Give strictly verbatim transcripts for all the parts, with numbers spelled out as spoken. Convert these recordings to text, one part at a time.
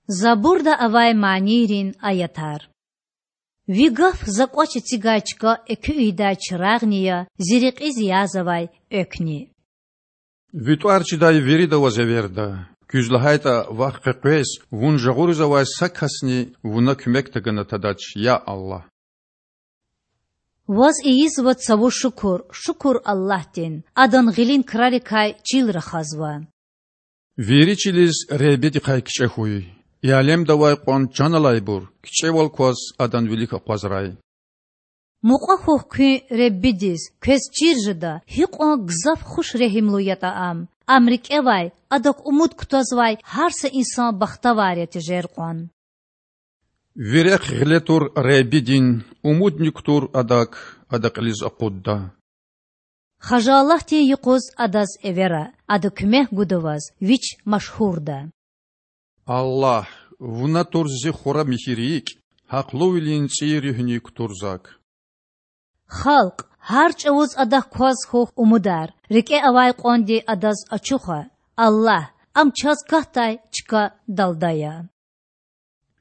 Забурда авай манийрин аятар. Ви гаф за кӀвач эцигай чка экуь ийидай чирагъни я, зи рекьиз язавай эквни. Ви тӀвар чидай вирида Ваз эверда, куьз лагьайтӀа Вахъ къекъвез, Вун жагъуриз авай са касни Вуна куьмек тагана тадач, я Аллагь. Ваз ийизва цаву шукур, шукур Аллагьдин, Адан гъилин крарикай чил рахазва. Вири чилиз Худадихъай кичӀе хьуй, и алемда авай кьван чан алайбур кичӀевал кваз Адан вилик акъвазрай. Мукьва хьухь куьн Худадиз, квез чир жеда, гьикьван гзаф хуш-регьимлу ятӀа Ам! Ам рикӀевай, Адак умуд кутазвай гьар са инсан бахтавар я тежер кьван. Ви рехъ гъиле тур Худадин, умудни кутур Адак, Ада кьилиз акъудда. Хажалатдин юкъуз Адаз эвера, Ада куьмек гуда ваз, Вич машгьурда. Аллагь, Вуна тур зи хура михьи рикӀ, гьахълувилин цӀийи руьгьни кутур зак. Халкь, гьар чӀавуз Адак кваз хьухь умудар, рикӀе авай кьванди Адаз ачуха. Аллагь, Ам чаз катдай чка далда я.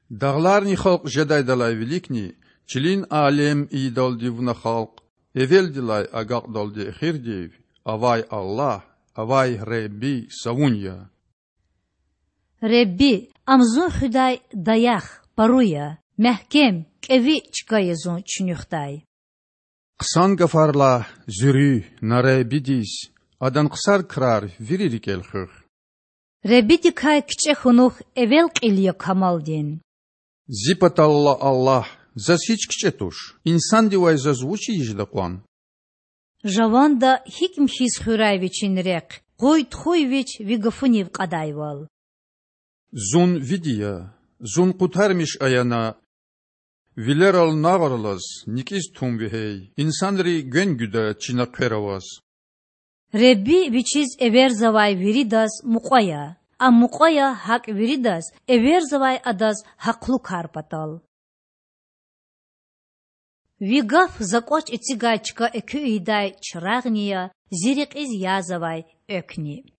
Дагъларни халкь жедайдалай виликни, чилин алем ийидалди Вуна халкь, эвелдилай агакьдалди эхирдив, авай Аллагь, авай Худади са Вун я. Худади, Ам зун хуьдай даях, пару я, мягькем, кӀеви чка я зун чуьнуьхдай. Хъсан гафар лагь, зи руьгь, на Худадиз, Адан хъсан крар вири рикӀел хуьх. Худадикай кичӀе хьунухь эвел кьил я камалдин. Зи паталла, Аллагь, заз гьич кичӀе туш, инсандивай заз вуч ийиз жеда кьван? Жаванда гьикӀ михьиз хуьрай Вичин рехъ, къуй-тухуй Вич Ви гафунив кьадайвал. Зун Види я, зун къутармиш ая на. Вилерал нагъв алаз, никӀиз тум вегьей, инсанри гвен гуьда чина хъвер аваз. Худади Вичиз эверзавай виридаз мукьва я, Ам мукьва я гьакӀ виридаз, эверзавай Адаз гьахълу кар патал. Ви гаф за кӀвач эцигай чка экуь ийидай чирагъни я, зи рекьиз язавай эквни.